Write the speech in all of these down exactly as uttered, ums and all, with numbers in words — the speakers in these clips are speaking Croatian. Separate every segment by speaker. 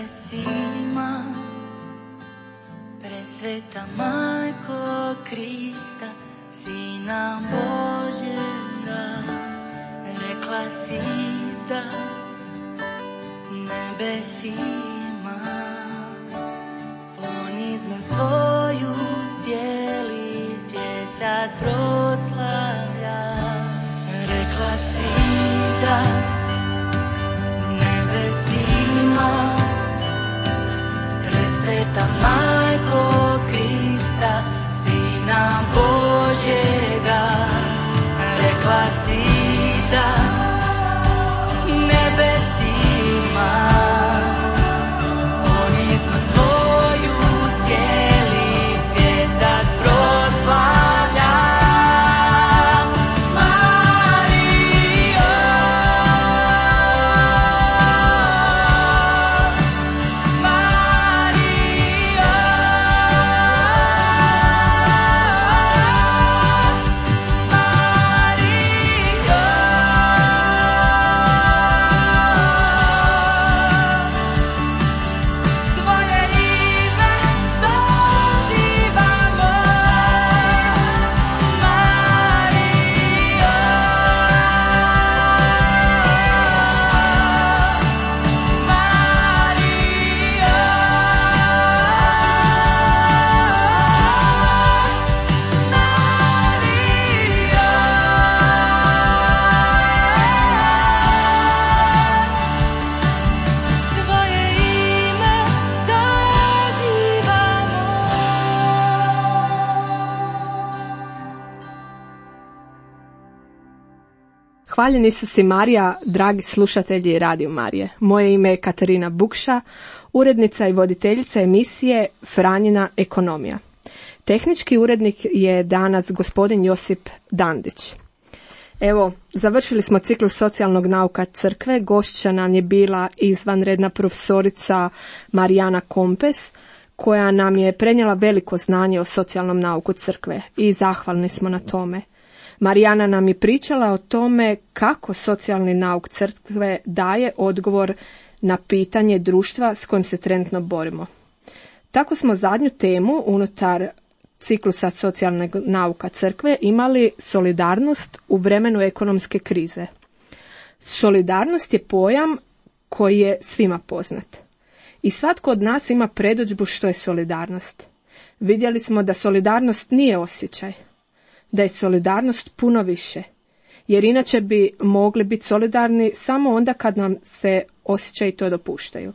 Speaker 1: nebesima, presveta Majko Krista, Sina Božjega, rekla si da nebesima, poniznost tvoju cijeli svijet sad proslavlja. Rekla si da nebesima, presveta Majko Krista, Sina Božjega, rekla si da nebesima, poniznost tvoju cijeli svijet sad proslavlja.
Speaker 2: Hvaljen Isus i Marija, dragi slušatelji Radio Marije. Moje ime je Katarina Bukša, urednica i voditeljica emisije Franjina ekonomija. Tehnički urednik je danas gospodin Josip Dandić. Evo, završili smo ciklus socijalnog nauka crkve. Gošća nam je bila izvanredna profesorica Marijana Kompes, koja nam je prenijela veliko znanje o socijalnom nauku crkve i zahvalni smo na tome. Marijana nam je pričala o tome kako socijalni nauk crkve daje odgovor na pitanje društva s kojim se trenutno borimo. Tako smo zadnju temu unutar ciklusa socijalnog nauka crkve imali solidarnost u vremenu ekonomske krize. Solidarnost je pojam koji je svima poznat. I svatko od nas ima predodžbu što je solidarnost. Vidjeli smo da solidarnost nije osjećaj, da je solidarnost puno više, jer inače bi mogli biti solidarni samo onda kad nam se osjećaji to dopuštaju.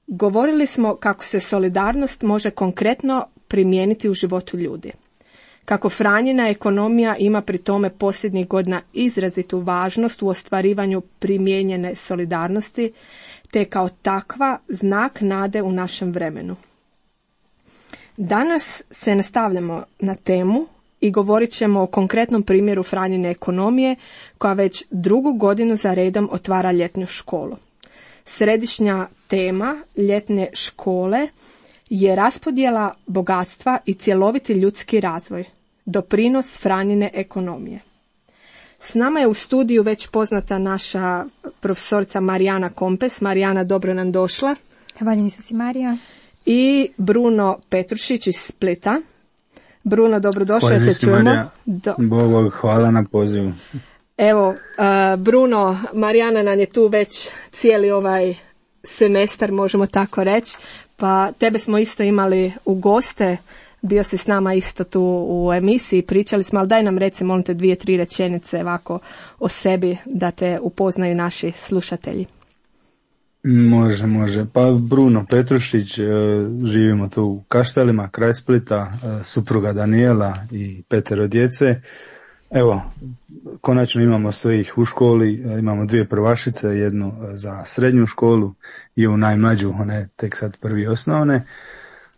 Speaker 2: Govorili smo kako se solidarnost može konkretno primijeniti u životu ljudi. Kako Franjina ekonomija ima pri tome posljednjih godina izrazitu važnost u ostvarivanju primijenjene solidarnosti, te kao takva znak nade u našem vremenu. Danas se nastavljamo na temu i govorit ćemo o konkretnom primjeru Franjine ekonomije koja već drugu godinu za redom otvara ljetnu školu. Središnja tema ljetne škole je raspodjela bogatstva i cjeloviti ljudski razvoj, doprinos Franjine ekonomije. S nama je u studiju već poznata naša profesorica Marijana Kompes. Marijana, dobro nam došla.
Speaker 3: Hvaljen Isus i Marija.
Speaker 2: I Bruno Petrušić iz Splita. Bruno, dobrodošao, se čujemo.
Speaker 4: Do... Bog, hvala na pozivu.
Speaker 2: Evo, uh, Bruno, Marijana nam je tu već cijeli ovaj semestar, možemo tako reći, pa tebe smo isto imali u goste, bio si s nama isto tu u emisiji, pričali smo, ali daj nam reci, molim te, dvije, tri rečenice ovako o sebi da te upoznaju naši slušatelji.
Speaker 4: Može, može. Pa Bruno Petrušić, živimo tu u Kaštelima, kraj Splita, supruga Danijela i petero djece. Evo, konačno imamo sve ih u školi, imamo dvije prvašice, jednu za srednju školu i ovu najmlađu, ona je tek sad prvi osnovne.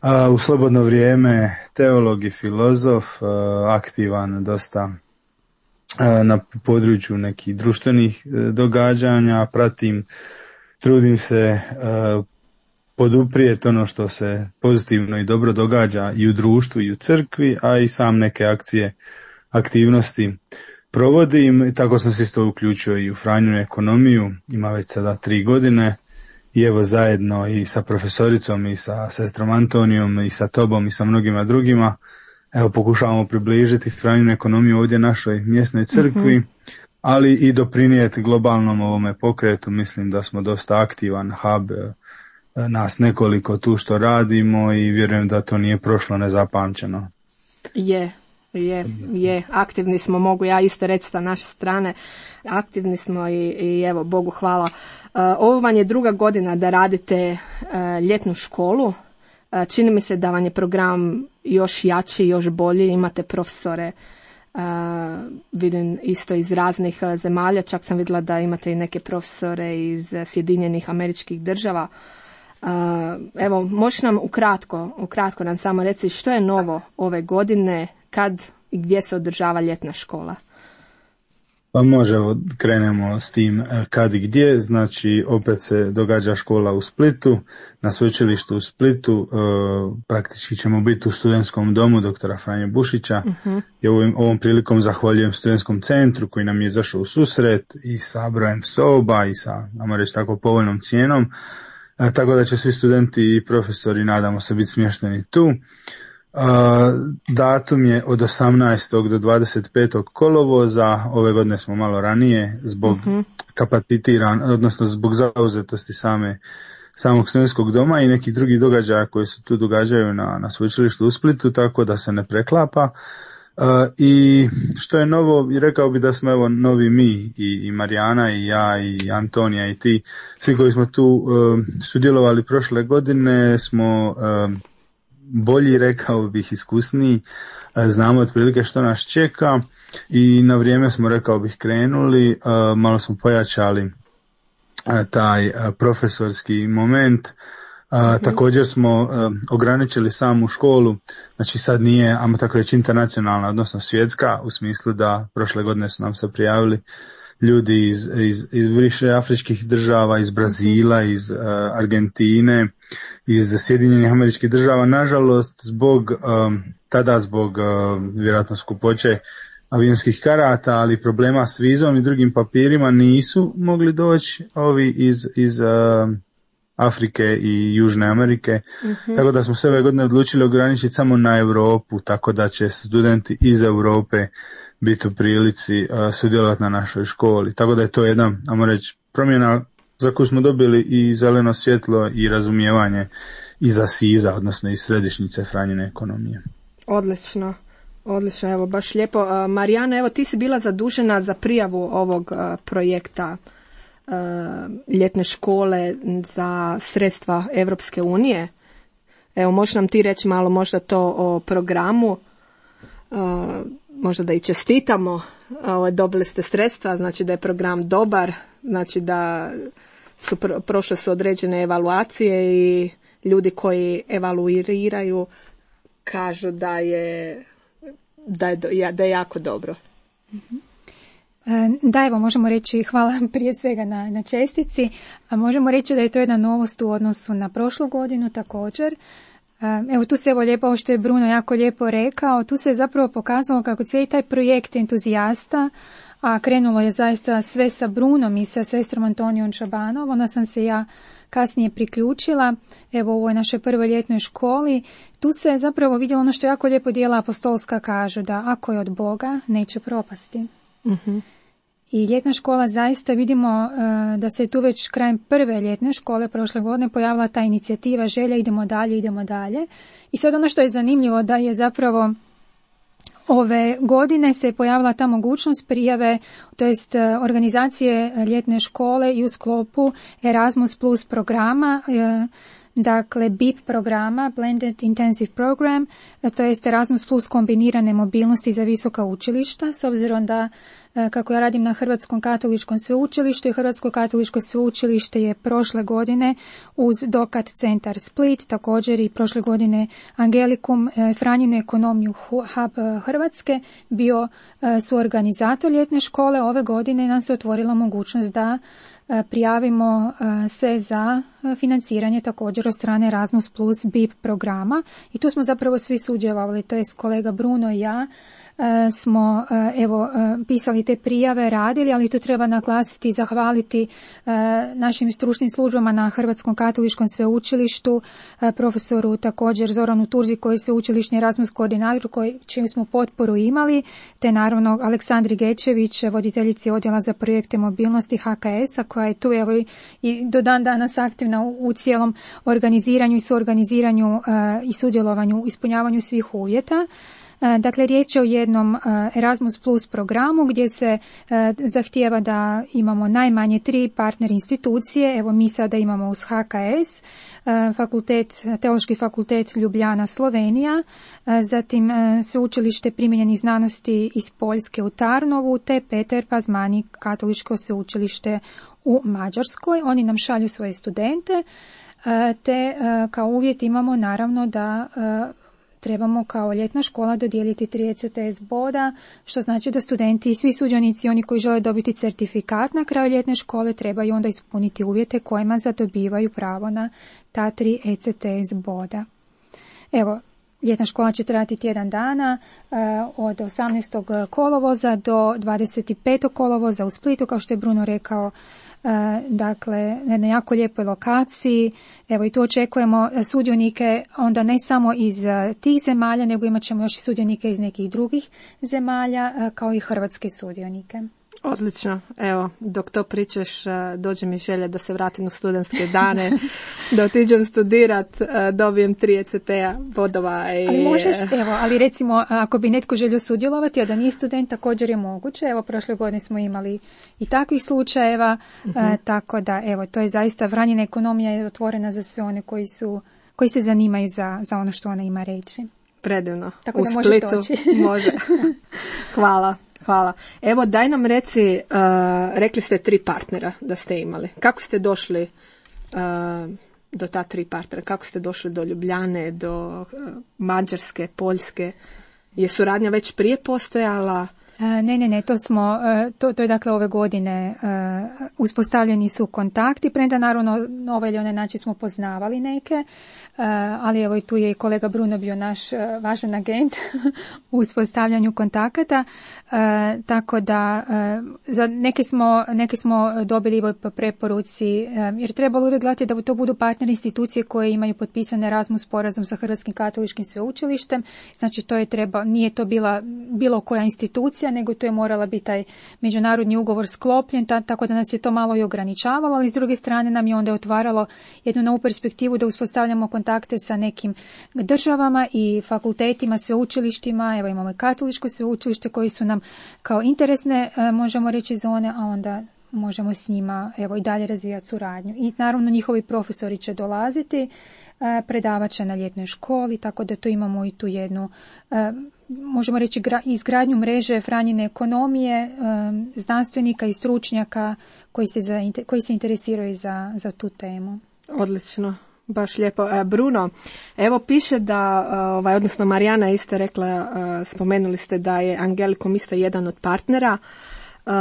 Speaker 4: A u slobodno vrijeme teolog i filozof, aktivan dosta na području nekih društvenih događanja, pratim, trudim se uh, poduprijeti ono što se pozitivno i dobro događa i u društvu i u crkvi, a i sam neke akcije, aktivnosti provodim. Tako sam se isto uključio i u Franjinu ekonomiju, ima već sada tri godine i evo zajedno i sa profesoricom i sa sestrom Antonijom i sa tobom i sa mnogima drugima evo pokušavamo približiti Franjinu ekonomiju ovdje našoj mjesnoj crkvi, mm-hmm. ali i doprinijeti globalnom ovome pokretu. Mislim da smo dosta aktivan hub, nas nekoliko tu što radimo i vjerujem da to nije prošlo nezapamćeno.
Speaker 2: Je, je, je. Aktivni smo, mogu ja isto reći sa naše strane. Aktivni smo i, i evo, Bogu hvala. Uh, ovo vam je druga godina da radite uh, ljetnu školu. Uh, čini mi se da vam je program još jači, još bolji. Imate profesore, uh, vidim isto iz raznih uh, zemalja. Čak sam vidjela da imate i neke profesore iz uh, Sjedinjenih Američkih Država. Uh, evo, možeš nam ukratko, ukratko nam samo reći što je novo ove godine, kad i gdje se održava ljetna škola?
Speaker 4: Pa može, krenemo s tim kad i gdje. Znači, opet se događa škola u Splitu, na sveučilištu u Splitu. E, praktički ćemo biti u studentskom domu doktora Franje Bušića. Uh-huh. I ovom, ovom prilikom zahvaljujem studentskom centru koji nam je izašao u susret i sa brojem soba i sa, ajmo reći tako, povoljnom cijenom. E, tako da će svi studenti i profesori, nadamo se, biti smješteni tu. Uh, datum je od osamnaestog do dvadeset petog kolovoza. Ove godine smo malo ranije zbog uh-huh. kapacitiran, odnosno zbog zauzetosti same samog studentskog doma i nekih drugih događaja koji se tu događaju na, na sveučilištu u Splitu, tako da se ne preklapa. Uh, I što je novo, i rekao bi da smo evo novi mi, i, i Marijana i ja i Antonija i ti, svi koji smo tu uh, sudjelovali prošle godine smo uh, bolji, rekao bih, iskusniji, znamo otprilike što nas čeka i na vrijeme smo, rekao bih, krenuli, malo smo pojačali taj profesorski moment. Mm-hmm. Također smo ograničili samu školu, znači sad nije, ajmo tako reći, internacionalna, odnosno svjetska, u smislu da prošle godine su nam se prijavili ljudi iz, iz, iz više afričkih država, iz Brazila, iz uh, Argentine, iz Sjedinjenih Američkih Država. Nažalost, zbog, um, tada zbog uh, vjerojatno skupoće avionskih karata, ali problema s vizom i drugim papirima, nisu mogli doći ovi iz, iz uh, Afrike i Južne Amerike. Uh-huh. Tako da smo se ove godine odlučili ograničiti samo na Europu, tako da će studenti iz Europe biti u prilici uh, sudjelovati na našoj školi. Tako da je to jedna, ajmo reći, promjena za koju smo dobili i zeleno svjetlo i razumijevanje iz Asiza, odnosno iz središnjice Franjine ekonomije.
Speaker 2: Odlično, odlično, evo baš lijepo. Uh, Marijana, evo ti si bila zadužena za prijavu ovog uh, projekta uh, ljetne škole za sredstva Europske unije. Evo, možeš nam ti reći malo možda to o programu, uh, možda da i čestitamo, uh, dobili ste sredstva, znači da je program dobar, znači da su pro, prošle su određene evaluacije i ljudi koji evaluiraju kažu da je, da je, da je jako dobro.
Speaker 3: Da, evo, možemo reći hvala prije svega na, na čestici, a možemo reći da je to jedna novost u odnosu na prošlu godinu također. Evo, tu se evo lijepo, ovo što je Bruno jako lijepo rekao, tu se je zapravo pokazalo kako cijeli taj projekt entuzijasta, a krenulo je zaista sve sa Brunom i sa sestrom Antonijom Čabanov, onda sam se ja kasnije priključila, evo u ovoj našoj prvoj ljetnoj školi. Tu se je zapravo vidjelo ono što jako lijepo dijela apostolska kažu, da ako je od Boga, neće propasti. Uh-huh. I ljetna škola zaista vidimo uh, da se tu već krajem prve ljetne škole prošle godine pojavila ta inicijativa želja idemo dalje, idemo dalje. I sad ono što je zanimljivo da je zapravo ove godine se pojavila ta mogućnost prijave, to jest organizacije ljetne škole i u sklopu Erasmus Plus programa, dakle B I P programa, Blended Intensive Program, to jest Erasmus Plus kombinirane mobilnosti za visoka učilišta, s obzirom da kako ja radim na Hrvatskom katoličkom sveučilištu i Hrvatsko katoličko sveučilište je prošle godine uz Dokat centar Split, također i prošle godine Angelikum, Franjinu ekonomiju Hub Hrvatske, bio suorganizator ljetne škole. Ove godine nam se otvorila mogućnost da prijavimo se za financiranje također od strane Erasmus Plus B I P programa i tu smo zapravo svi sudjelovali, to jest kolega Bruno i ja. smo evo pisali te prijave, radili, ali to treba naglasiti i zahvaliti našim stručnim službama na Hrvatskom katoličkom sveučilištu, profesoru također Zoranu Turzi koji je sveučilišni Erasmus koordinator koji, čiju smo potporu imali, te naravno Aleksandri Gečević, voditeljici odjela za projekte mobilnosti H K S-a koja je tu evo i do dan danas aktivna u, u cijelom organiziranju i suorganiziranju i sudjelovanju u ispunjavanju svih uvjeta. Dakle, riječ je o jednom Erasmus Plus programu gdje se zahtijeva da imamo najmanje tri partner institucije. Evo mi sada imamo uz H K S, fakultet, Teološki fakultet Ljubljana, Slovenija, zatim sveučilište primijenjenih znanosti iz Poljske u Tarnovu, te Peter Pazmani, katoličko sveučilište u Mađarskoj. Oni nam šalju svoje studente, te kao uvjet imamo naravno da trebamo kao ljetna škola dodijeliti tri E C T S boda, što znači da studenti i svi sudionici, oni koji žele dobiti certifikat na kraju ljetne škole, trebaju onda ispuniti uvjete kojima zadobivaju pravo na ta tri E C T S boda. Evo, ljetna škola će trajati tjedan dana, od osamnaestog kolovoza do dvadeset petog kolovoza u Splitu, kao što je Bruno rekao. Dakle, na jednoj jako lijepoj lokaciji. Evo i tu očekujemo sudionike onda ne samo iz tih zemalja, nego imat ćemo još i sudionike iz nekih drugih zemalja, kao i hrvatske sudionike.
Speaker 2: Odlično. Evo, dok to pričaš, dođe mi želja da se vratim u studentske dane, da otiđem studirat, dobijem tri E C T-a bodova. I...
Speaker 3: Ali možeš, evo, ali recimo, ako bi netko želio sudjelovati, a da nije student, također je moguće. Evo, prošle godine smo imali i takvih slučajeva, uh-huh. a, tako da, evo, to je zaista, Vranjina ekonomija je otvorena za sve one koji su, koji se zanimaju za, za ono što ona ima reći.
Speaker 2: Predivno.
Speaker 3: Tako
Speaker 2: u
Speaker 3: da
Speaker 2: Splitu
Speaker 3: možeš doći.
Speaker 2: Može. Hvala. Hvala. Evo, daj nam reci, uh, rekli ste tri partnera da ste imali. Kako ste došli uh, do ta tri partnera? Kako ste došli do Ljubljane, do uh, Mađarske, Poljske? Je suradnja već prije postojala?
Speaker 3: Ne, ne, ne, to smo, to, to je dakle ove godine uspostavljeni su kontakti, premda naravno na ovaj ili onaj način smo poznavali neke, ali evo i tu je i kolega Bruno bio naš važan agent u uspostavljanju kontakata, tako da za neke smo, neke smo dobili po preporuci, jer trebalo uvijek gledati da to budu partner institucije koje imaju potpisan Erasmus sporazum sa Hrvatskim katoličkim sveučilištem, znači to je treba, nije to bila bilo koja institucija, nego to je morala biti taj međunarodni ugovor sklopljen, ta, tako da nas je to malo i ograničavalo, ali s druge strane nam je onda otvaralo jednu novu perspektivu da uspostavljamo kontakte sa nekim državama i fakultetima, sveučilištima. Evo imamo i katoličko sveučilište koji su nam kao interesne, možemo reći, zone, a onda možemo s njima evo i dalje razvijati suradnju. I naravno njihovi profesori će dolaziti, predavat će na ljetnoj školi, tako da to imamo i tu jednu, možemo reći, izgradnju mreže Franjine ekonomije, znanstvenika i stručnjaka koji se, za, koji se interesiraju za, za tu temu.
Speaker 2: Odlično. Baš lijepo. Bruno, evo piše da, ovaj, odnosno Marijana je isto rekla, spomenuli ste da je Angelikum isto jedan od partnera. Uh,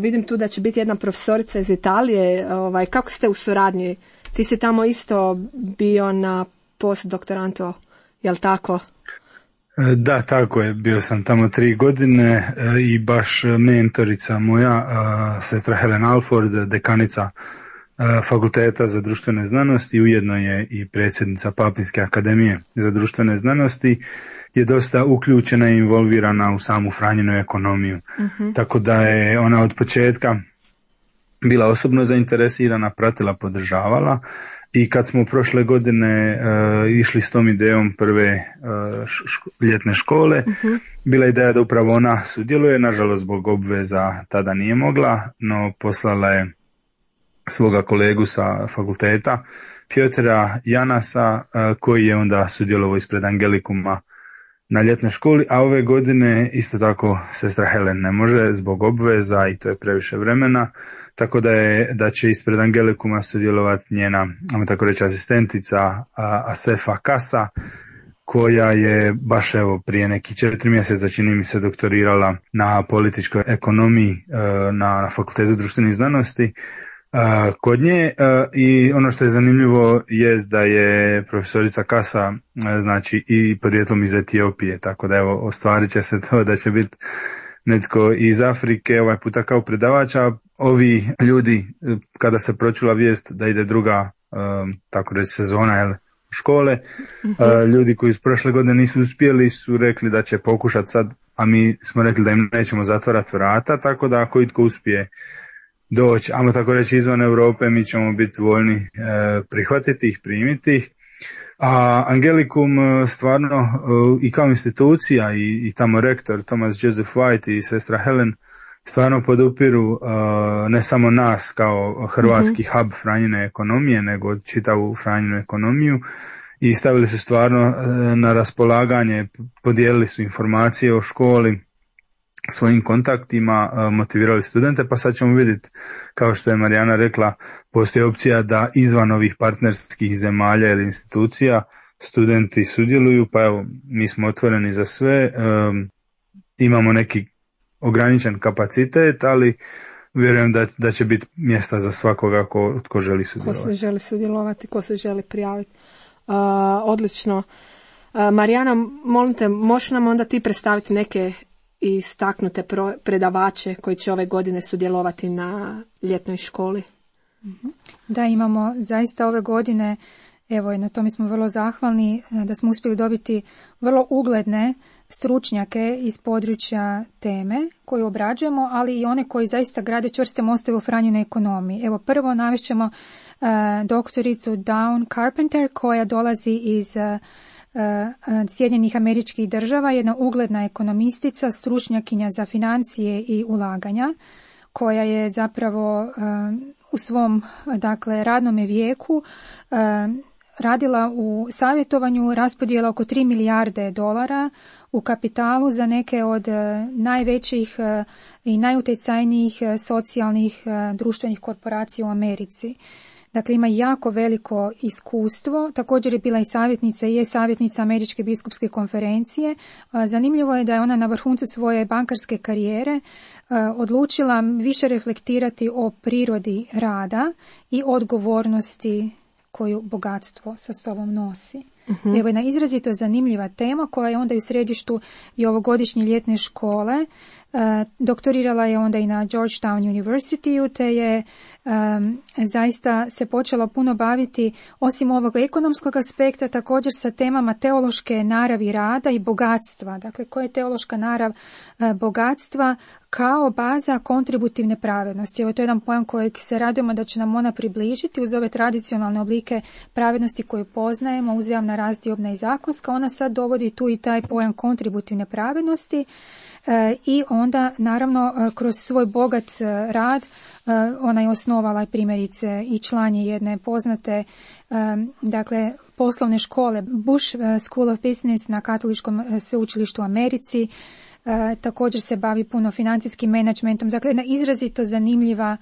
Speaker 2: vidim tu da će biti jedna profesorica iz Italije. Ovaj, kako ste u suradnji? Ti si tamo isto bio na postdoktorantu, jel tako?
Speaker 4: Da, tako je. Bio sam tamo tri godine i baš mentorica moja, sestra Helen Alford, dekanica Fakulteta za društvene znanosti, ujedno je i predsjednica Papinske akademije za društvene znanosti, je dosta uključena i involvirana u samu Franjinu ekonomiju. Uh-huh. Tako da je ona od početka bila osobno zainteresirana, pratila, podržavala, i kad smo prošle godine uh, išli s tom idejom prve uh, ško- ljetne škole, uh-huh. bila je ideja da upravo ona sudjeluje, nažalost zbog obveza tada nije mogla, no poslala je svoga kolegu sa fakulteta, Pjotera Janasa, uh, koji je onda sudjelovao ispred Angelikuma na ljetnoj školi, a ove godine isto tako sestra Helen ne može zbog obveza i to je previše vremena, tako da je da će ispred Angelikuma sudjelovati njena, ajmo tako reći, asistentica Asefa Kasa, koja je baš evo prije neki četiri mjeseca, čini mi se, doktorirala na političkoj ekonomiji na, na Fakultetu društvenih znanosti, uh, kod nje uh, i ono što je zanimljivo jest da je profesorica Kasa uh, znači i podrijetlom iz Etiopije, tako da evo ostvarit će se to da će biti netko iz Afrike ovaj puta kao predavača. Ovi ljudi, kada se pročula vijest da ide druga um, tako reći sezona jel, škole, mm-hmm. uh, ljudi koji iz prošle godine nisu uspjeli su rekli da će pokušati sad, a mi smo rekli da im nećemo zatvarati vrata, tako da ako itko uspije doći, ajmo tako reći izvan Europe, mi ćemo biti voljni uh, prihvatiti ih, primiti ih. A Angelicum stvarno uh, i kao institucija i, i tamo rektor Thomas Joseph White i sestra Helen stvarno podupiru uh, ne samo nas kao hrvatski mm-hmm. hub Franjine ekonomije, nego čitavu Franjinu ekonomiju i stavili su stvarno uh, na raspolaganje, podijelili su informacije o školi, svojim kontaktima, uh, motivirali studente, pa sad ćemo vidjeti, kao što je Marijana rekla, postoji opcija da izvan ovih partnerskih zemalja ili institucija studenti sudjeluju, pa evo, mi smo otvoreni za sve, um, imamo neki ograničen kapacitet, ali vjerujem da, da će biti mjesta za svakoga ko, ko želi sudjelovati. Ko
Speaker 2: se želi sudjelovati, ko se želi prijaviti. Uh, odlično. Uh, Marijana, molim te, možeš nam onda ti predstaviti neke istaknute pro, predavače koji će ove godine sudjelovati na ljetnoj školi?
Speaker 3: Da, imamo zaista ove godine, evo i na tome smo vrlo zahvalni, da smo uspjeli dobiti vrlo ugledne stručnjake iz područja teme koju obrađujemo, ali i one koji zaista grade čvrste mostove u Franjinoj ekonomiji. Evo prvo navešćemo uh, doktoricu Dawn Carpenter koja dolazi iz uh, uh, Sjedinjenih Američkih Država, jedna ugledna ekonomistica, stručnjakinja za financije i ulaganja, koja je zapravo uh, u svom dakle radnome vijeku uh, radila u savjetovanju raspodjela oko tri milijarde dolara u kapitalu za neke od uh, najvećih uh, i najutjecajnijih uh, socijalnih uh, društvenih korporacija u Americi. Dakle, ima jako veliko iskustvo. Također je bila i savjetnica i je savjetnica Američke biskupske konferencije. Zanimljivo je da je ona na vrhuncu svoje bankarske karijere odlučila više reflektirati o prirodi rada i odgovornosti koju bogatstvo sa sobom nosi. Uh-huh. Evo jedna izrazito zanimljiva tema koja je onda u središtu i ovogodišnje ljetne škole. Uh, doktorirala je onda i na Georgetown University, te je um, zaista se počela puno baviti, osim ovog ekonomskog aspekta, također sa temama teološke naravi rada i bogatstva. Dakle, koja je teološka narav uh, bogatstva kao baza kontributivne pravednosti. Evo, to je jedan pojam kojeg se radujemo da će nam ona približiti uz ove tradicionalne oblike pravednosti koju poznajemo, uzajamna, razdiobna i zakonska. Ona sad dovodi tu i taj pojam kontributivne pravednosti. E, i onda naravno kroz svoj bogat rad e, ona je osnovala primjerice i član je jedne poznate e, dakle poslovne škole Bush School of Business na Katoličkom sveučilištu u Americi. E, također se bavi puno financijskim menadžmentom, dakle jedna izrazito zanimljiva,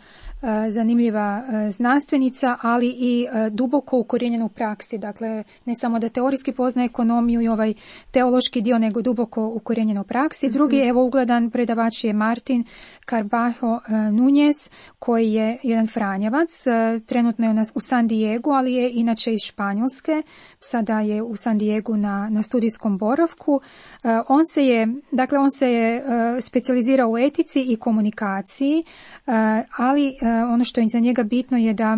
Speaker 3: e, zanimljiva e, znanstvenica, ali i e, duboko ukorijenjena u praksi, dakle ne samo da teorijski poznaje ekonomiju i ovaj teološki dio, nego duboko ukorijenjena u praksi. Mm-hmm. Drugi, evo ugledan predavač je Martin Carbajo e, Núñez, koji je jedan Franjevac, e, trenutno je u, nas, u San Diegu, ali je inače iz Španjolske, sada je u San Diegu na, na studijskom boravku. E, on se je, dakle on se je uh, specijalizirao u etici i komunikaciji, uh, ali uh, ono što je za njega bitno je da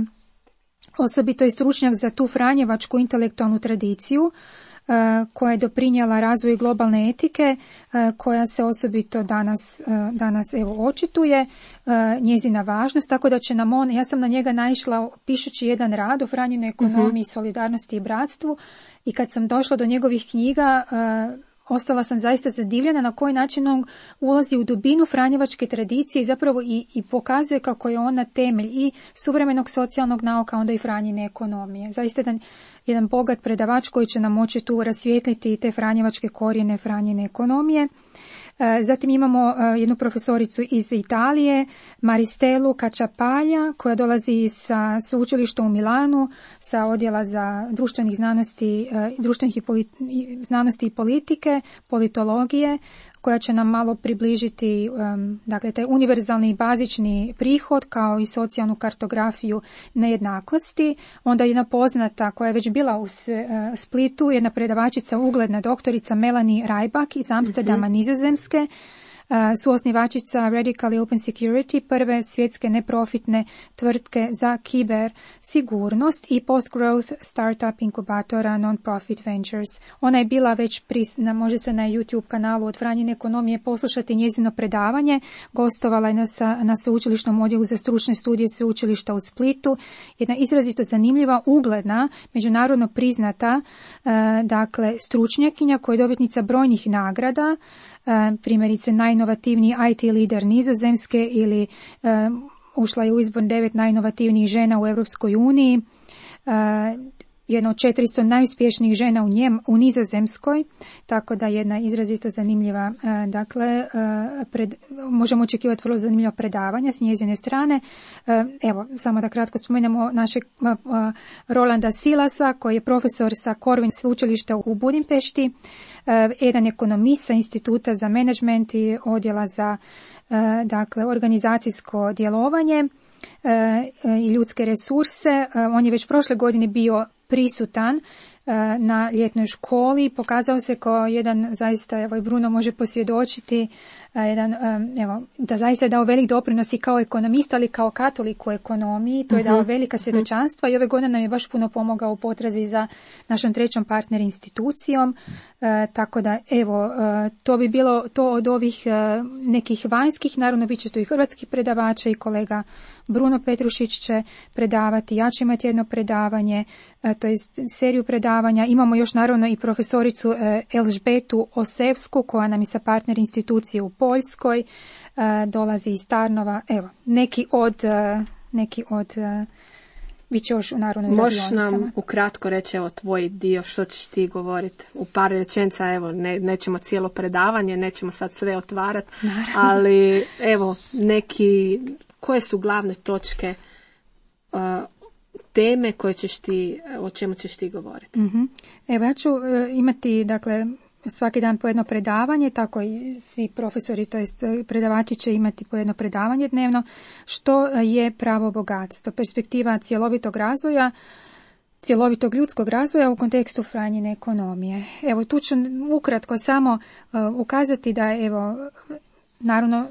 Speaker 3: osobito je stručnjak za tu franjevačku intelektualnu tradiciju uh, koja je doprinijela razvoju globalne etike, uh, koja se osobito danas, uh, danas evo očituje, uh, njezina važnost, tako da će nam on, ja sam na njega naišla pišući jedan rad o Franjinoj ekonomiji, uh-huh. solidarnosti i bratstvu, i kad sam došla do njegovih knjiga, uh, ostala sam zaista zadivljena na koji način on ulazi u dubinu franjevačke tradicije i zapravo i, i pokazuje kako je ona temelj i suvremenog socijalnog nauka, onda i Franjine ekonomije. Zaista jedan, jedan bogat predavač koji će nam moći tu rasvijetliti te franjevačke korijene Franjine ekonomije. Zatim imamo jednu profesoricu iz Italije, Maristelu Cacciapaglia, koja dolazi sa sveučilišta u Milanu, sa odjela za društvenih znanosti, društvenih i politi- znanosti i politike, politologije. koja će nam malo približiti um, dakle, taj univerzalni bazični prihod kao i socijalnu kartografiju nejednakosti. Onda jedna poznata koja je već bila u Splitu, jedna predavačica, ugledna doktorica Melanie Rybak iz Amsterdama, mm-hmm. Nizozemske, suosnivačica Radically Open Security, prve svjetske neprofitne tvrtke za kiber sigurnost i post-growth startup inkubatora Non-Profit Ventures. Ona je bila već prisna, može se na YouTube kanalu od Franjine ekonomije poslušati njezino predavanje. Gostovala je na, na sveučilišnom odjelu za stručne studije sveučilišta u Splitu. Jedna izrazito zanimljiva, ugledna, međunarodno priznata uh, dakle, stručnjakinja koja je dobitnica brojnih nagrada, uh, primjerice najinovativniji I T lider Nizozemske ili uh, ušla je u izbor devet najinovativnijih žena u Europskoj uniji, uh, jedna od četiristo najuspješnijih žena u, njem, u Nizozemskoj, tako da jedna izrazito zanimljiva, uh, dakle, uh, pred, možemo očekivati vrlo zanimljiva predavanja s njezine strane. Uh, evo, samo da kratko spomenemo našeg uh, uh, Rolanda Silasa, koji je profesor sa Corvin sveučilišta u Budimpešti, uh, jedan ekonomist sa Instituta za menadžment i odjela za uh, dakle, organizacijsko djelovanje uh, i ljudske resurse. Uh, on je već prošle godine bio prisutan na ljetnoj školi, pokazao se kao jedan, zaista, evo i Bruno može posvjedočiti, jedan, evo, da zaista je dao velik doprinos i kao ekonomista, ali kao katolik u ekonomiji, to je dao velika svjedočanstva i ove godine nam je baš puno pomogao u potrazi za našom trećom partner institucijom, e, tako da evo, e, to bi bilo to od ovih e, nekih vanjskih, naravno bit će tu i hrvatskih predavača i kolega Bruno Petrušić će predavati, ja ću imati jedno predavanje, e, to je seriju predavanja, imamo još naravno i profesoricu e, Elžbetu Osevsku koja nam je sa partner institucije u Poljskoj, dolazi iz Tarnova, evo, neki od, neki od, bit će još u narodnoj radionicama.
Speaker 2: Možeš nam ukratko reći, evo, tvoj dio, što ćeš ti govoriti? U par rečenica, evo, ne, nećemo cijelo predavanje, nećemo sad sve otvarati, ali, evo, neki, koje su glavne točke, uh, teme koje ćeš ti, o čemu ćeš ti govoriti?
Speaker 3: Mm-hmm. Evo, ja ću uh, imati, dakle, svaki dan po jedno predavanje, tako i svi profesori, to jest predavači će imati po jedno predavanje dnevno. Što je pravo bogatstvo? Perspektiva cjelovitog razvoja, cjelovitog ljudskog razvoja u kontekstu Franjine ekonomije. Evo, tu ću ukratko samo uh, ukazati da je, evo, naravno,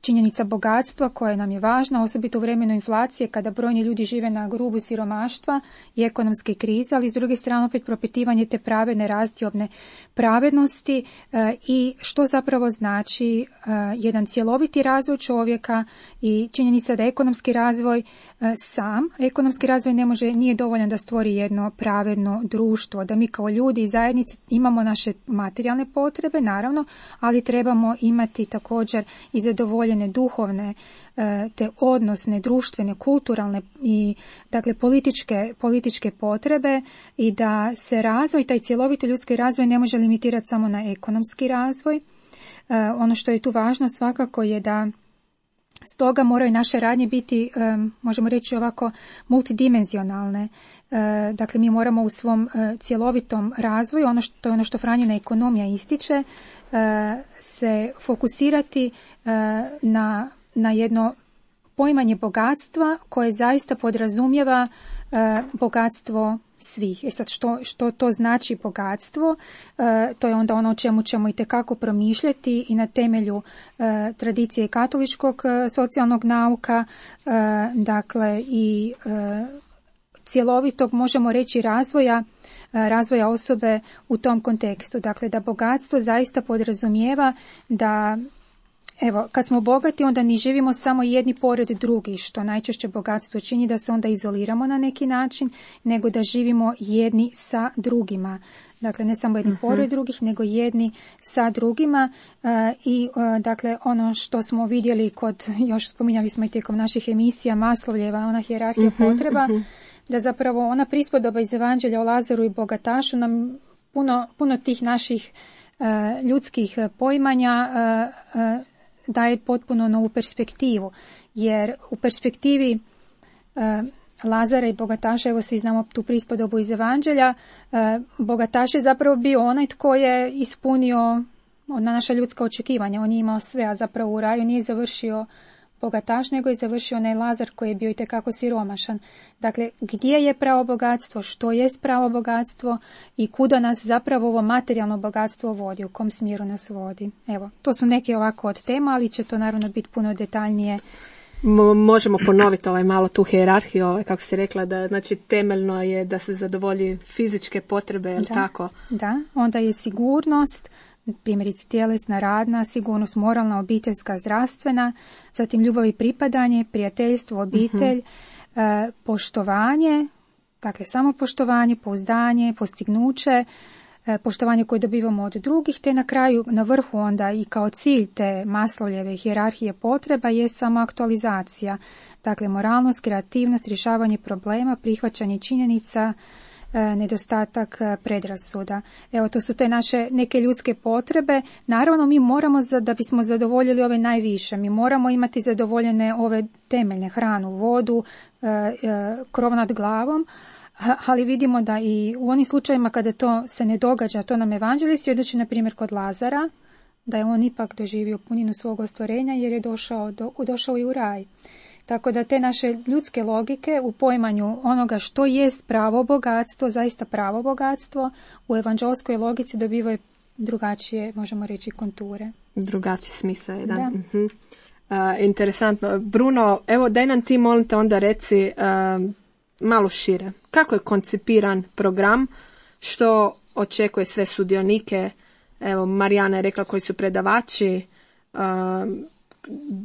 Speaker 3: činjenica bogatstva koja nam je važna, osobito u vremenu inflacije kada brojni ljudi žive na rubu siromaštva i ekonomske krize, ali s druge strane opet propitivanje te pravedne razdjobne pravednosti e, i što zapravo znači e, jedan cjeloviti razvoj čovjeka i činjenica da ekonomski razvoj e, sam, ekonomski razvoj ne može, nije dovoljan da stvori jedno pravedno društvo, da mi kao ljudi i zajednici imamo naše materijalne potrebe, naravno, ali trebamo imati također i zadovoljstvo duhovne, te odnosne, društvene, kulturalne i dakle političke, političke potrebe i da se razvoj, taj cjeloviti ljudski razvoj ne može limitirati samo na ekonomski razvoj. Ono što je tu važno svakako je da stoga moraju naše radnje biti, možemo reći ovako, multidimenzionalne. Dakle, mi moramo u svom cjelovitom razvoju, ono što je ono što Franjina ekonomija ističe, se fokusirati na, na jedno poimanje bogatstva koje zaista podrazumijeva bogatstvo svih. E sad, što, što to znači bogatstvo? E, to je onda ono o čemu ćemo itekako promišljati i na temelju e, tradicije katoličkog e, socijalnog nauka, e, dakle i e, cjelovitog, možemo reći, razvoja razvoja osobe u tom kontekstu. Dakle, da bogatstvo zaista podrazumijeva da, evo, kad smo bogati, onda ne živimo samo jedni pored drugih, što najčešće bogatstvo čini da se onda izoliramo na neki način, nego da živimo jedni sa drugima. Dakle, ne samo jedni uh-huh. pored drugih, nego jedni sa drugima. Uh, I, uh, dakle, ono što smo vidjeli kod, još spominjali smo i tijekom naših emisija, Maslovljeva, ona hijerarhija uh-huh, potreba, uh-huh. da zapravo ona prispodoba iz Evanđelja o Lazaru i bogatašu nam puno, puno tih naših uh, ljudskih poimanja uh, uh, daje potpuno novu perspektivu. Jer u perspektivi uh, Lazara i bogataša, evo svi znamo tu prispodobu iz Evanđelja, uh, bogataš je zapravo bio onaj tko je ispunio na naša ljudska očekivanja. On je imao sve, a zapravo u raju nije završio bogataš, nego je završio onaj Lazar koji je bio itekako siromašan. Dakle, gdje je pravo bogatstvo, što je pravo bogatstvo i kuda nas zapravo ovo materijalno bogatstvo vodi, u kom smjeru nas vodi. Evo, to su neke ovako od tema, ali će to naravno biti puno detaljnije.
Speaker 2: Mo- možemo ponoviti ovaj malo tu hijerarhiju, ovaj, kako si rekla, da znači temeljno je da se zadovolji fizičke potrebe, je li
Speaker 3: Da,
Speaker 2: tako?
Speaker 3: da, onda je sigurnost, primjerice tjelesna, radna, sigurnost moralna, obiteljska, zdravstvena, zatim ljubav i pripadanje, prijateljstvo, obitelj, e, poštovanje, dakle samopoštovanje, pouzdanje, postignuće, e, poštovanje koje dobivamo od drugih, te na kraju, na vrhu onda i kao cilj te Maslowljeve hijerarhije potreba je samoaktualizacija. Dakle, moralnost, kreativnost, rješavanje problema, prihvaćanje činjenica, nedostatak predrasuda. Evo, to su te naše neke ljudske potrebe. Naravno, mi moramo, za, da bismo zadovoljili ove najviše, mi moramo imati zadovoljene ove temeljne, hranu, vodu, e, e, krov nad glavom, ali vidimo da i u onim slučajevima kada to se ne događa, to nam evanđelje svjedoči, na primjer, kod Lazara, da je on ipak doživio puninu svog ostvarenja jer je došao, do, došao i u raj. Tako da te naše ljudske logike u poimanju onoga što jest pravo bogatstvo, zaista pravo bogatstvo, u evanđelskoj logici dobivaju drugačije, možemo reći, konture.
Speaker 2: Drugačiji smisao jedan.
Speaker 3: Da.
Speaker 2: Uh-huh. Uh, interesantno. Bruno, evo daj nam ti, molim te, onda reci uh, malo šire. Kako je koncipiran program, što očekuje sve sudionike? Evo, Marijana je rekla koji su predavači, uh,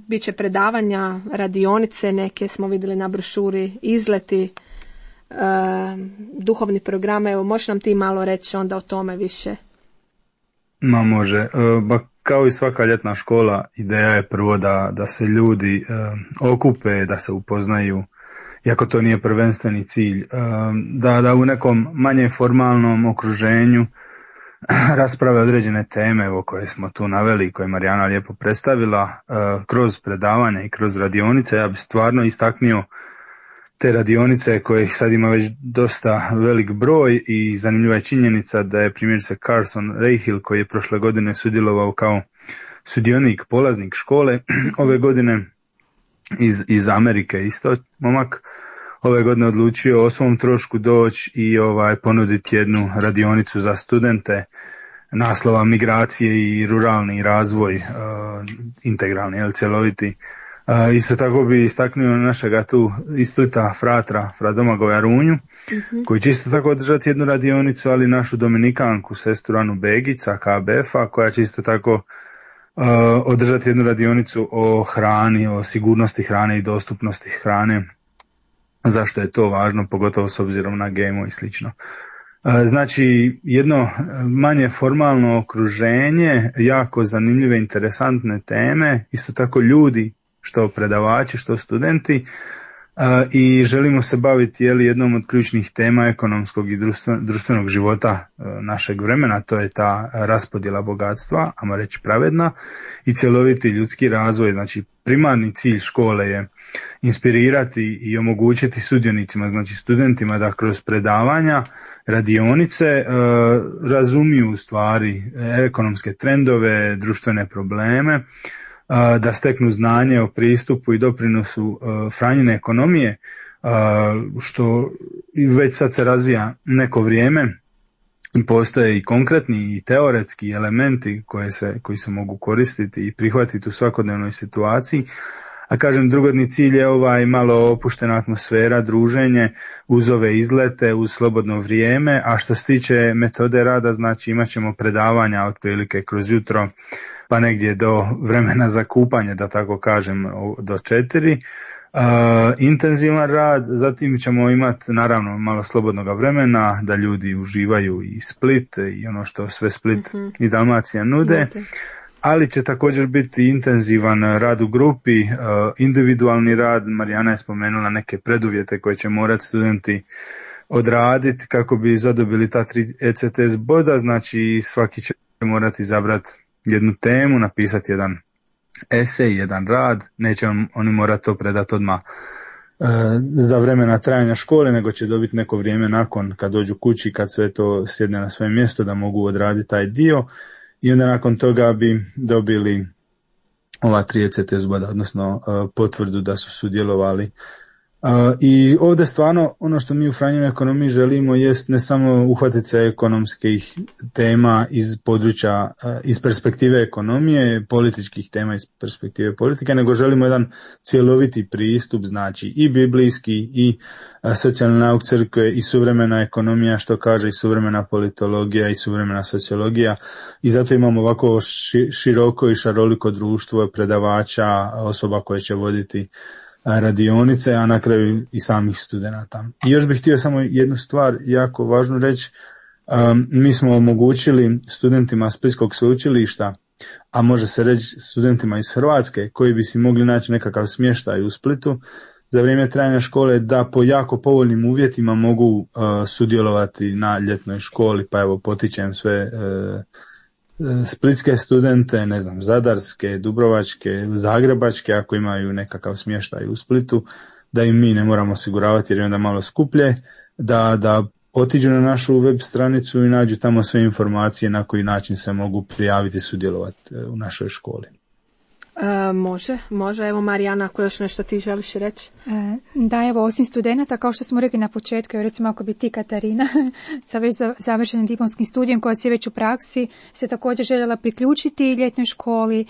Speaker 2: bit će predavanja, radionice, neke smo vidjeli na brošuri, izleti, uh, duhovni program. Evo, možeš nam ti malo reći onda o tome više?
Speaker 4: Ma može. E, ba, kao i svaka ljetna škola, ideja je prvo da, da se ljudi e, okupe, da se upoznaju, iako to nije prvenstveni cilj, e, da, da u nekom manje formalnom okruženju rasprave određene teme o koje smo tu naveli, koje je Marijana lijepo predstavila, e, kroz predavanja i kroz radionice. Ja bih stvarno istaknio te radionice kojih sad ima već dosta velik broj i zanimljiva je činjenica da je primjerice Carson Rahill, koji je prošle godine sudjelovao kao sudionik, polaznik škole, ove godine iz, iz Amerike isto momak, ove godine odlučio o svom trošku doći i ovaj ponuditi jednu radionicu za studente naslova migracije i ruralni razvoj, uh, integralni, jel, cjeloviti. Uh, isto tako bi istaknuo našega tu iz Splita fratra, fra Domagoja Runju, uh-huh. koji će isto tako održati jednu radionicu, ali našu dominikanku, sestru Anu Begica, K B F-a, koja će isto tako uh, održati jednu radionicu o hrani, o sigurnosti hrane i dostupnosti hrane. Zašto je to važno, pogotovo s obzirom na G M O i slično. Uh, znači, jedno manje formalno okruženje, jako zanimljive, interesantne teme, isto tako ljudi, što predavači, što studenti, uh, i želimo se baviti jeli, jednom od ključnih tema ekonomskog i društvenog života uh, našeg vremena, to je ta raspodjela bogatstva, ajmo reći pravedna, i cjeloviti ljudski razvoj. Znači, primarni cilj škole je inspirirati i omogućiti sudionicima, znači studentima, da kroz predavanja, radionice uh, razumiju stvari, ekonomske trendove, društvene probleme, da steknu znanje o pristupu i doprinosu uh, Franjine ekonomije, uh, što već sad se razvija neko vrijeme i postoje i konkretni i teoretski elementi koje se, koji se mogu koristiti i prihvatiti u svakodnevnoj situaciji. A kažem, drugodni cilj je ovaj malo opuštena atmosfera, druženje uz ove izlete, uz slobodno vrijeme, a što se tiče metode rada, znači imat ćemo predavanja otprilike kroz jutro, pa negdje do vremena za kupanje, da tako kažem, do četiri. Uh, intenzivan rad, zatim ćemo imati naravno malo slobodnog vremena da ljudi uživaju i Split i ono što sve Split mm-hmm. i Dalmacija nude. Mm-hmm. Ali će također biti intenzivan rad u grupi, uh, individualni rad. Marijana je spomenula neke preduvjete koje će morati studenti odraditi kako bi zadobili ta tri E C T S boda, znači svaki će morati izabrati jednu temu, napisati jedan esej, jedan rad, neće on, oni morati to predati odmah uh, za vremena trajanja škole, nego će dobiti neko vrijeme nakon kad dođu kući, kad sve to sjedne na svoje mjesto, da mogu odraditi taj dio. i onda nakon toga bi dobili ova tri E C T S boda, odnosno uh, potvrdu da su sudjelovali. Uh, I ovdje stvarno ono što mi u Franjinoj ekonomiji želimo jest ne samo uhvatiti se ekonomskih tema iz područja, uh, iz perspektive ekonomije, političkih tema iz perspektive politike, nego želimo jedan cjeloviti pristup, znači i biblijski, i uh, socijalna nauk crkve, i suvremena ekonomija, što kaže i suvremena politologija i suvremena sociologija, i zato imamo ovako ši, široko i šaroliko društvo predavača, osoba koje će voditi radionice, a na kraju i samih studenata. I još bih htio samo jednu stvar jako važnu reći. Um, mi smo omogućili studentima Splitskog sveučilišta, a može se reći studentima iz Hrvatske, koji bi si mogli naći nekakav smještaj u Splitu za vrijeme trajanja škole, da po jako povoljnim uvjetima mogu uh, sudjelovati na ljetnoj školi, pa evo potičem sve uh, splitske studente, ne znam, zadarske, dubrovačke, zagrebačke, ako imaju nekakav smještaj u Splitu, da im mi ne moramo osiguravati jer je onda malo skuplje, da, da otiđu na našu web stranicu i nađu tamo sve informacije na koji način se mogu prijaviti i sudjelovati u našoj školi.
Speaker 2: E, može, može. Evo Marijana, ako još nešto ti želiš reći?
Speaker 3: E, da, evo, osim studenata, kao što smo rekli na početku, evo recimo ako bi ti, Katarina, sa već završenim diplomskim studijem, koja si već u praksi, se također željela priključiti ljetnoj školi e,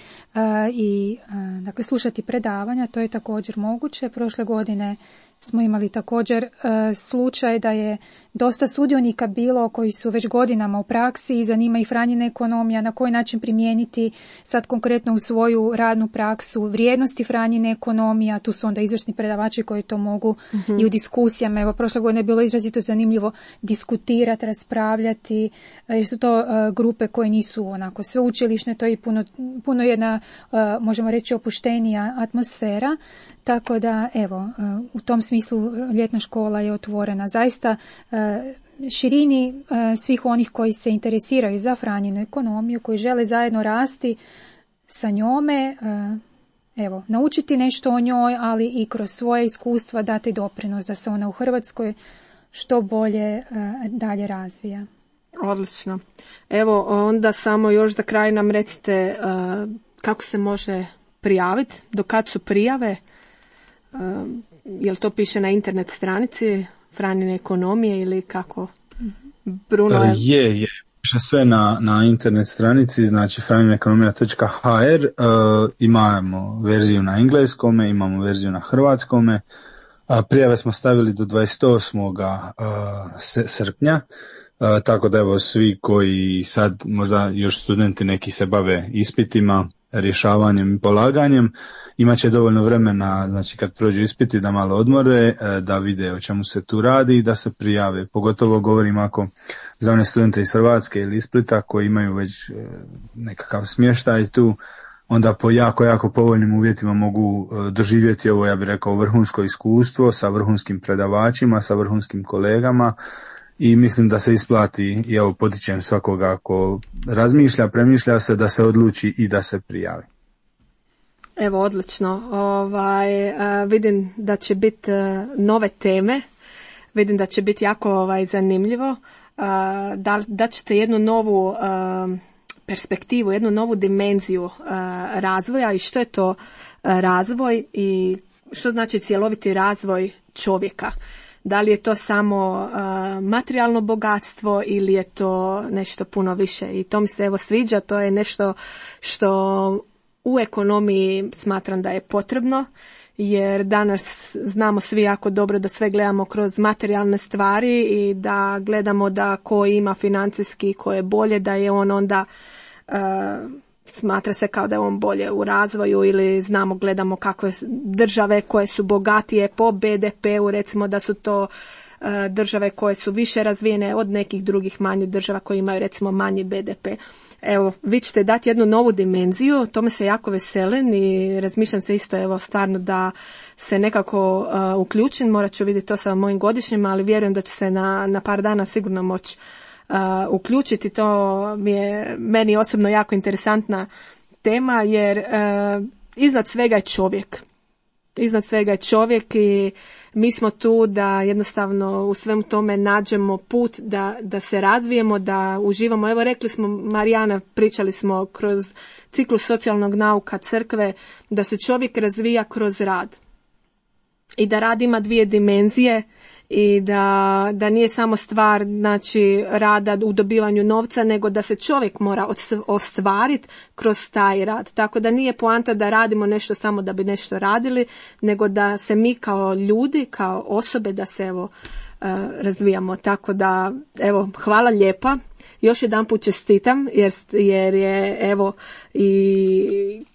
Speaker 3: i e, dakle, slušati predavanja, to je također moguće. Prošle godine smo imali također e, slučaj da je dosta sudionika bilo koji su već godinama u praksi i zanima ih Franjina ekonomija, na koji način primijeniti sad konkretno u svoju radnu praksu vrijednosti Franjine ekonomija. Tu su onda izvrsni predavači koji to mogu mm-hmm. i u diskusijama. Evo, prošle godine je bilo izrazito zanimljivo diskutirati, raspravljati, jer su to uh, grupe koje nisu onako sveučilišne, to je i puno, puno jedna, uh, možemo reći, opuštenija atmosfera. Tako da, evo, uh, u tom smislu ljetna škola je otvorena zaista uh, širini uh, svih onih koji se interesiraju za Franjinu ekonomiju, koji žele zajedno rasti sa njome, uh, evo, naučiti nešto o njoj, ali i kroz svoje iskustva dati doprinos da se ona u Hrvatskoj što bolje uh, dalje razvija.
Speaker 2: Odlično. Evo, onda samo još za kraj nam recite uh, kako se može prijaviti, do kad su prijave, uh, jel to piše na internet stranici Franjine ekonomije ili kako? Bruno je...
Speaker 4: Je, je. Piše sve na, na internet stranici, znači franjina ekonomija točka ha er. Uh, imamo verziju na engleskome, imamo verziju na hrvatskome. Uh, prijave smo stavili do dvadeset osmog srpnja. Uh, tako da evo svi koji sad možda još studenti neki se bave ispitima, rješavanjem i polaganjem, imat će dovoljno vremena, znači kad prođu ispiti da malo odmore, da vide o čemu se tu radi i da se prijave. Pogotovo govorim ako za one studente iz Hrvatske ili iz Splita koji imaju već nekakav smještaj tu, onda po jako, jako povoljnim uvjetima mogu doživjeti ovo, ja bih rekao, vrhunsko iskustvo sa vrhunskim predavačima, sa vrhunskim kolegama. I mislim da se isplati, i evo potičem svakoga ako razmišlja, premišlja se, da se odluči i da se prijavi.
Speaker 2: Evo, odlično. Ovaj, uh, vidim da će biti uh, nove teme, vidim da će biti jako ovaj, zanimljivo. Uh, da, da ćete jednu novu uh, perspektivu, jednu novu dimenziju uh, razvoja i što je to uh, razvoj i što znači cjeloviti razvoj čovjeka. Da li je to samo uh, materijalno bogatstvo ili je to nešto puno više. I to mi se evo sviđa, to je nešto što u ekonomiji smatram da je potrebno, jer danas znamo svi jako dobro da sve gledamo kroz materijalne stvari i da gledamo da ko ima financijski, ko je bolje, da je on onda... Uh, smatra se kao da je on bolje u razvoju ili znamo, gledamo kako je države koje su bogatije po be de pe u, recimo da su to uh, države koje su više razvijene od nekih drugih manjih država koje imaju recimo manji be de pe. Evo, vi ćete dati jednu novu dimenziju, tome se jako veselim i razmišljam se isto evo stvarno da se nekako uh, uključim, morat ću vidjeti to sa mojim godišnjima, ali vjerujem da ću se na, na par dana sigurno moći Uh, uključiti. To mi je meni osobno jako interesantna tema jer uh, iznad svega je čovjek. iznad svega je čovjek i mi smo tu da jednostavno u svemu tome nađemo put da, da se razvijemo, da uživamo. Evo rekli smo, Marijana, pričali smo kroz ciklus socijalnog nauka crkve, da se čovjek razvija kroz rad. I da rad ima dvije dimenzije i da, da nije samo stvar znači, rada u dobivanju novca, nego da se čovjek mora ostvariti kroz taj rad. Tako da nije poanta da radimo nešto samo da bi nešto radili, nego da se mi kao ljudi, kao osobe, da se evo razvijamo. Tako da, evo, hvala lijepa. Još jedan put čestitam, jer, jer je, evo, i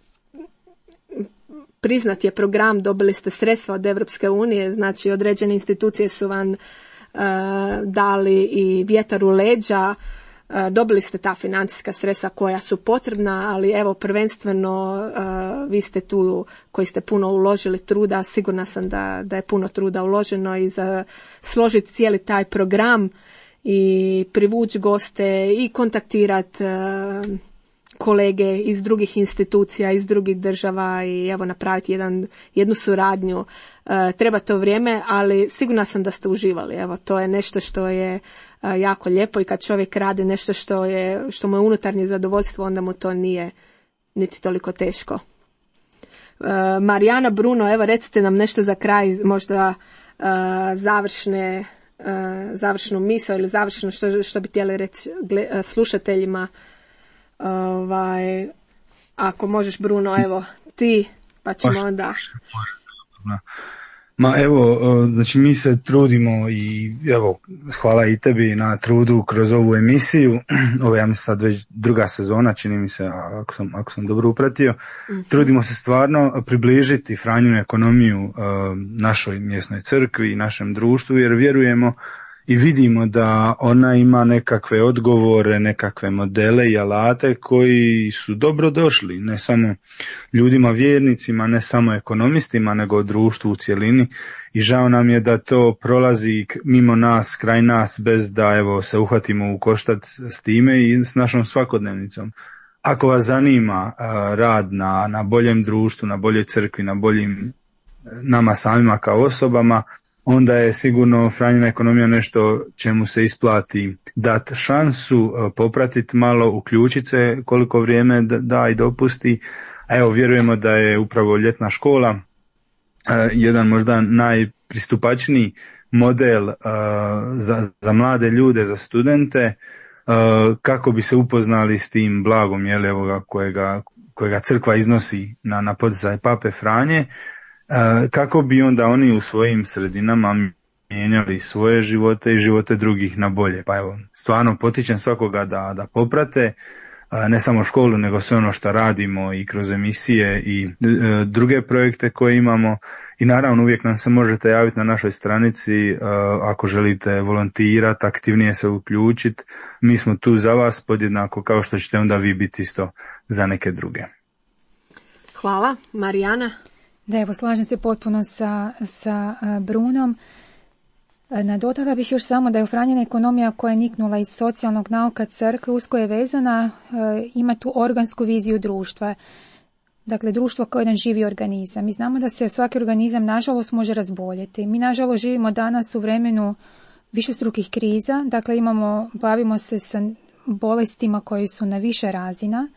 Speaker 2: priznat je program, dobili ste sredstva od Europske unije, znači određene institucije su vam uh, dali i vjetar u leđa, uh, dobili ste ta financijska sredstva koja su potrebna, ali evo prvenstveno uh, vi ste tu koji ste puno uložili truda, sigurna sam da, da je puno truda uloženo i za složiti cijeli taj program i privući goste i kontaktirati uh, kolege iz drugih institucija, iz drugih država i evo napraviti jedan, jednu suradnju. E, treba to vrijeme, ali sigurna sam da ste uživali. Evo, to je nešto što je e, jako lijepo i kad čovjek radi nešto što, je, što mu je unutarnje zadovoljstvo, onda mu to nije niti toliko teško. E, Marijana, Bruno, evo recite nam nešto za kraj, možda e, završne, e, završnu misao ili završno što, što bi htjeli reći gle, slušateljima. Ovaj, ako možeš, Bruno, evo ti, pa ćemo onda.
Speaker 4: Ma evo, znači mi se trudimo i evo, hvala i tebi na trudu kroz ovu emisiju. Ovo je ja mislim sad već druga sezona, čini mi se, ako sam, ako sam dobro upratio. Mm-hmm. Trudimo se stvarno približiti Franjinu ekonomiju uh, našoj mjesnoj crkvi i našem društvu, jer vjerujemo i vidimo da ona ima nekakve odgovore, nekakve modele i alate koji su dobro došli, ne samo ljudima vjernicima, ne samo ekonomistima, nego društvu u cjelini. I žao nam je da to prolazi mimo nas, kraj nas, bez da evo se uhvatimo u koštac s time i s našom svakodnevnicom. Ako vas zanima rad na, na boljem društvu, na boljoj crkvi, na boljim nama samima kao osobama, onda je sigurno Franjina ekonomija nešto čemu se isplati dati šansu, popratiti malo, uključiti se koliko vrijeme da i dopusti. A evo, vjerujemo da je upravo ljetna škola jedan možda najpristupačniji model za, za mlade ljude, za studente, kako bi se upoznali s tim blagom, jel, evo, kojega, kojega crkva iznosi na, na poticaj Pape Franje, kako bi onda oni u svojim sredinama mijenjali svoje živote i živote drugih na bolje. Pa evo, stvarno potičem svakoga da, da poprate ne samo školu, nego sve ono što radimo i kroz emisije i e, druge projekte koje imamo. I naravno uvijek nam se možete javiti na našoj stranici e, ako želite volontirati, aktivnije se uključiti. Mi smo tu za vas podjednako kao što ćete onda vi biti isto za neke druge.
Speaker 2: Hvala. Marijana?
Speaker 3: Da, evo, slažem se potpuno sa, sa Brunom. Nadodala bih još samo da je Franjina ekonomija koja je niknula iz socijalnog nauka crkve usko je vezana, ima tu organsku viziju društva. Dakle, društvo kao jedan živi organizam. Mi znamo da se svaki organizam, nažalost, može razboljeti. Mi, nažalost, živimo danas u vremenu višestrukih kriza. Dakle, imamo, bavimo se sa bolestima koje su na više razina,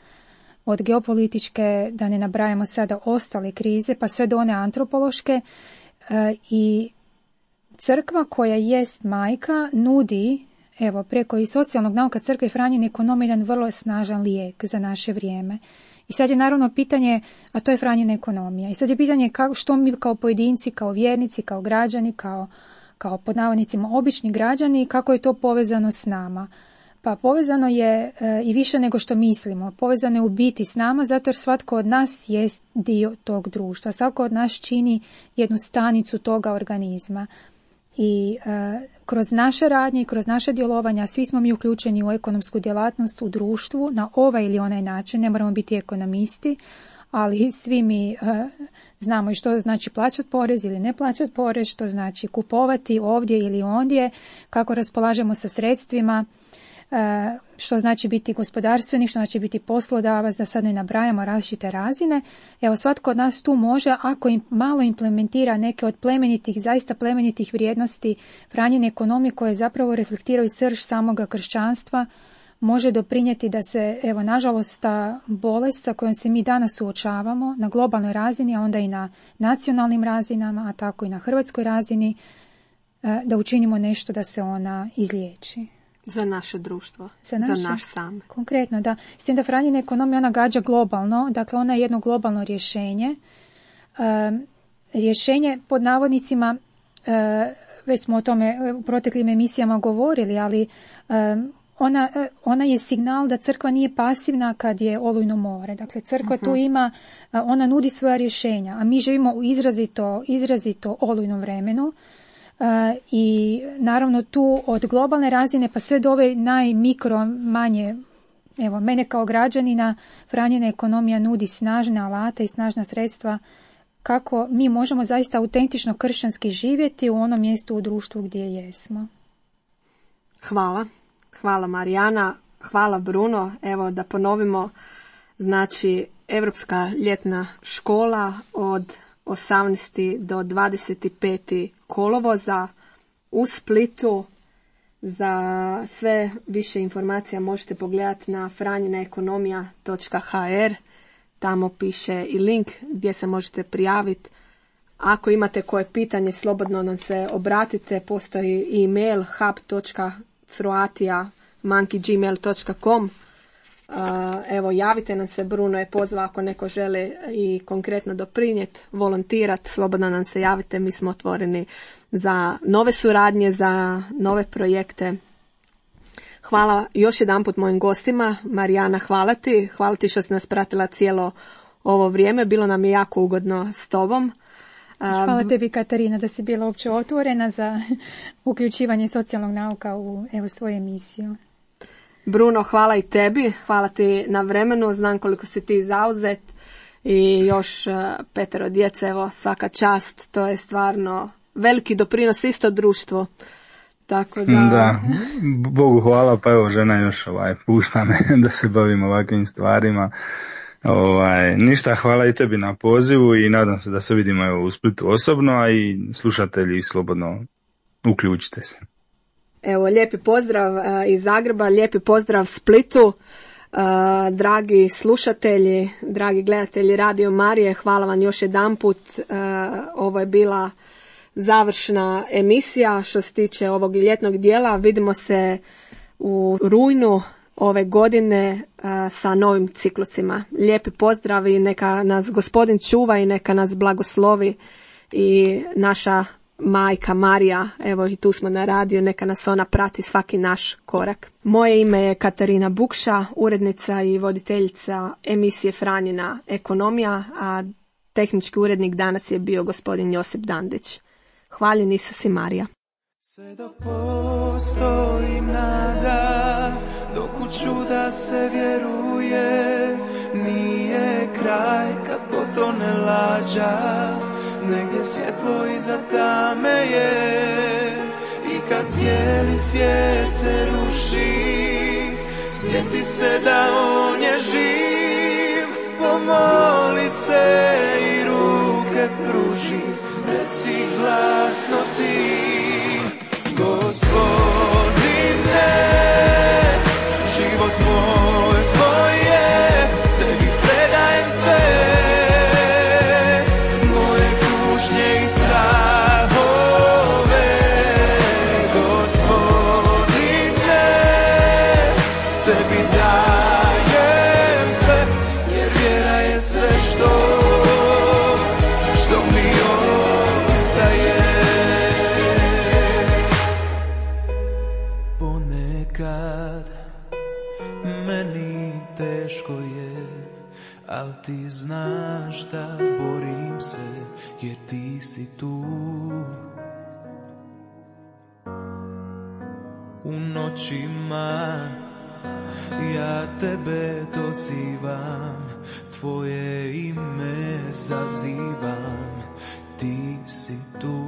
Speaker 3: od geopolitičke, da ne nabrajamo sada ostale krize, pa sve do one antropološke. E, I crkva koja jest majka nudi, evo, preko i socijalnog nauka crkve i Franjine ekonomije, jedan vrlo snažan lijek za naše vrijeme. I sad je naravno pitanje, a to je Franjina ekonomija. I sad je pitanje kako, što mi kao pojedinci, kao vjernici, kao građani, kao, kao pod navodnicima obični građani, kako je to povezano s nama. Pa povezano je e, i više nego što mislimo. Povezano je u biti s nama, zato jer svatko od nas jest dio tog društva. Svatko od nas čini jednu stanicu toga organizma. I e, kroz naše radnje i kroz naše djelovanja svi smo mi uključeni u ekonomsku djelatnost u društvu na ovaj ili onaj način. Ne moramo biti ekonomisti, ali svi mi e, znamo i što znači plaćati porez ili ne plaćati porez, što znači kupovati ovdje ili ondje, kako raspolažemo sa sredstvima. što znači biti gospodarstvenik, što znači biti poslodavac, da sad ne nabrajamo različite razine. Evo, svatko od nas tu može, ako im malo implementira neke od plemenitih, zaista plemenitih vrijednosti Franjine ekonomije koje zapravo reflektiraju srž samoga kršćanstva, može doprinijeti da se, evo, nažalost, ta bolest sa kojom se mi danas suočavamo na globalnoj razini, a onda i na nacionalnim razinama, a tako i na hrvatskoj razini, da učinimo nešto da se ona izliječi.
Speaker 2: Za naše društvo,
Speaker 3: za, naše,
Speaker 2: za naš sam.
Speaker 3: Konkretno, da. S tim da Franjina ekonomija, ona gađa globalno, dakle ona je jedno globalno rješenje. E, rješenje, pod navodnicima, e, već smo o tome u proteklim emisijama govorili, ali e, ona, ona je signal da crkva nije pasivna kad je olujno more. Dakle, crkva uh-huh. tu ima, ona nudi svoja rješenja, a mi živimo u izrazito, izrazito olujnom vremenu. Uh, i naravno tu od globalne razine pa sve do ove najmikro manje, evo mene kao građanina Franjina ekonomija nudi snažne alate i snažna sredstva kako mi možemo zaista autentično kršćanski živjeti u onom mjestu u društvu gdje jesmo.
Speaker 2: Hvala. Hvala Marijana, hvala Bruno. Evo da ponovimo, znači Europska ljetna škola od osamnaestog do dvadeset petog kolovoza u Splitu. Za sve više informacija možete pogledati na franjina ekonomija točka ha er. Tamo piše i link gdje se možete prijaviti. Ako imate koje pitanje, slobodno nam se obratite. Postoji i e-mail hub točka croatia monkey gmail točka com. Uh, evo, javite nam se, Bruno je pozvao ako neko želi i konkretno doprinijeti, volontirati, slobodno nam se javite, mi smo otvoreni za nove suradnje, za nove projekte. Hvala još jedanput mojim gostima. Marijana, hvala ti, hvala ti što si nas pratila cijelo ovo vrijeme, bilo nam je jako ugodno s tobom.
Speaker 3: Hvala tebi, Katarina, da si bila uopće otvorena za uključivanje socijalnog nauka u evo, svoju emisiju.
Speaker 2: Bruno, hvala i tebi, hvala ti na vremenu, znam koliko si ti zauzet i još petero djece, evo svaka čast, to je stvarno veliki doprinos isto društvo. Tako da...
Speaker 4: da, Bogu hvala, pa evo žena još ovaj, pušta me da se bavim ovakvim stvarima. Ovaj, ništa, hvala i tebi na pozivu i nadam se da se vidimo evo, u Splitu osobno, a i slušatelji slobodno uključite se.
Speaker 2: Evo, lijepi pozdrav uh, iz Zagreba, lijepi pozdrav Splitu, uh, dragi slušatelji, dragi gledatelji Radio Marije, hvala vam još jedanput, uh, ovo je bila završna emisija što se tiče ovog ljetnog dijela, vidimo se u rujnu ove godine uh, sa novim ciklusima. Lijepi pozdrav i neka nas Gospodin čuva i neka nas blagoslovi i naša Majka Marija, evo i tu smo na radiju, neka nas ona prati svaki naš korak. Moje ime je Katarina Bukša, urednica i voditeljica emisije Franjina ekonomija, a tehnički urednik danas je bio gospodin Josip Dandić. Hvaljen Isus i Marija.
Speaker 5: Sve dok postoji nada, dok u čuda se vjeruje, nije kraj kad potone lađa, negdje svjetlo iza tame je. I kad cijeli svijet se ruši, sjeti se da on je živ, pomoli se i ruke pruži, reci glasno ti, Gospodine, život moj tvoj je, tebi predajem sve, moje kušnje i strahove. Gospodine, tebi dajem sve, jer vjera je sve što, što mi ostaje. Ponekad meni teško je, al ti znaš da borim se, jer ti si tu. U noćima ja tebe dozivam, tvoje ime zazivam, ti si tu.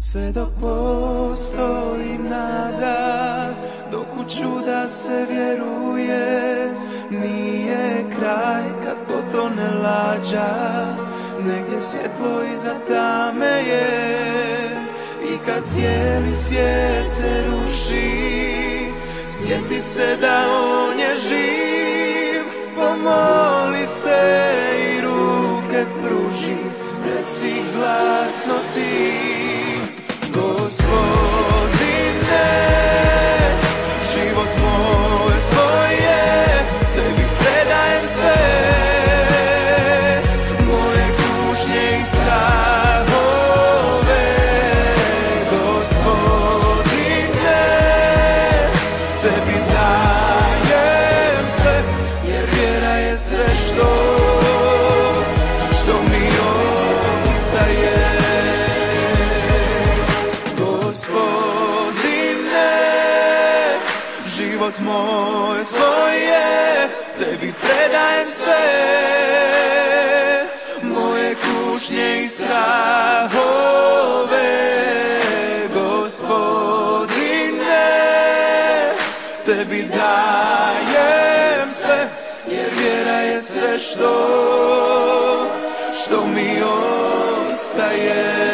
Speaker 5: Sve dok postoji nada, dok u čuda se vjeruje, nije kraj kad potone lađa, negdje svjetlo iza tame je. I kad cijeli svijet se ruši, sjeti se da on je živ, pomoli se i ruke pruži, reci glasno ti, Gospodine, život moj tvoj je, tebi predajem se, moje kušnje i strahove. Gospodine, tebi dajem sve, jer vjera je sve što, što mi ostaje. Život moj tvoj je, tebi predajem sve, moje kušnje i strahove. Gospodine, tebi dajem sve, jer vjera je sve što, što mi ostaje.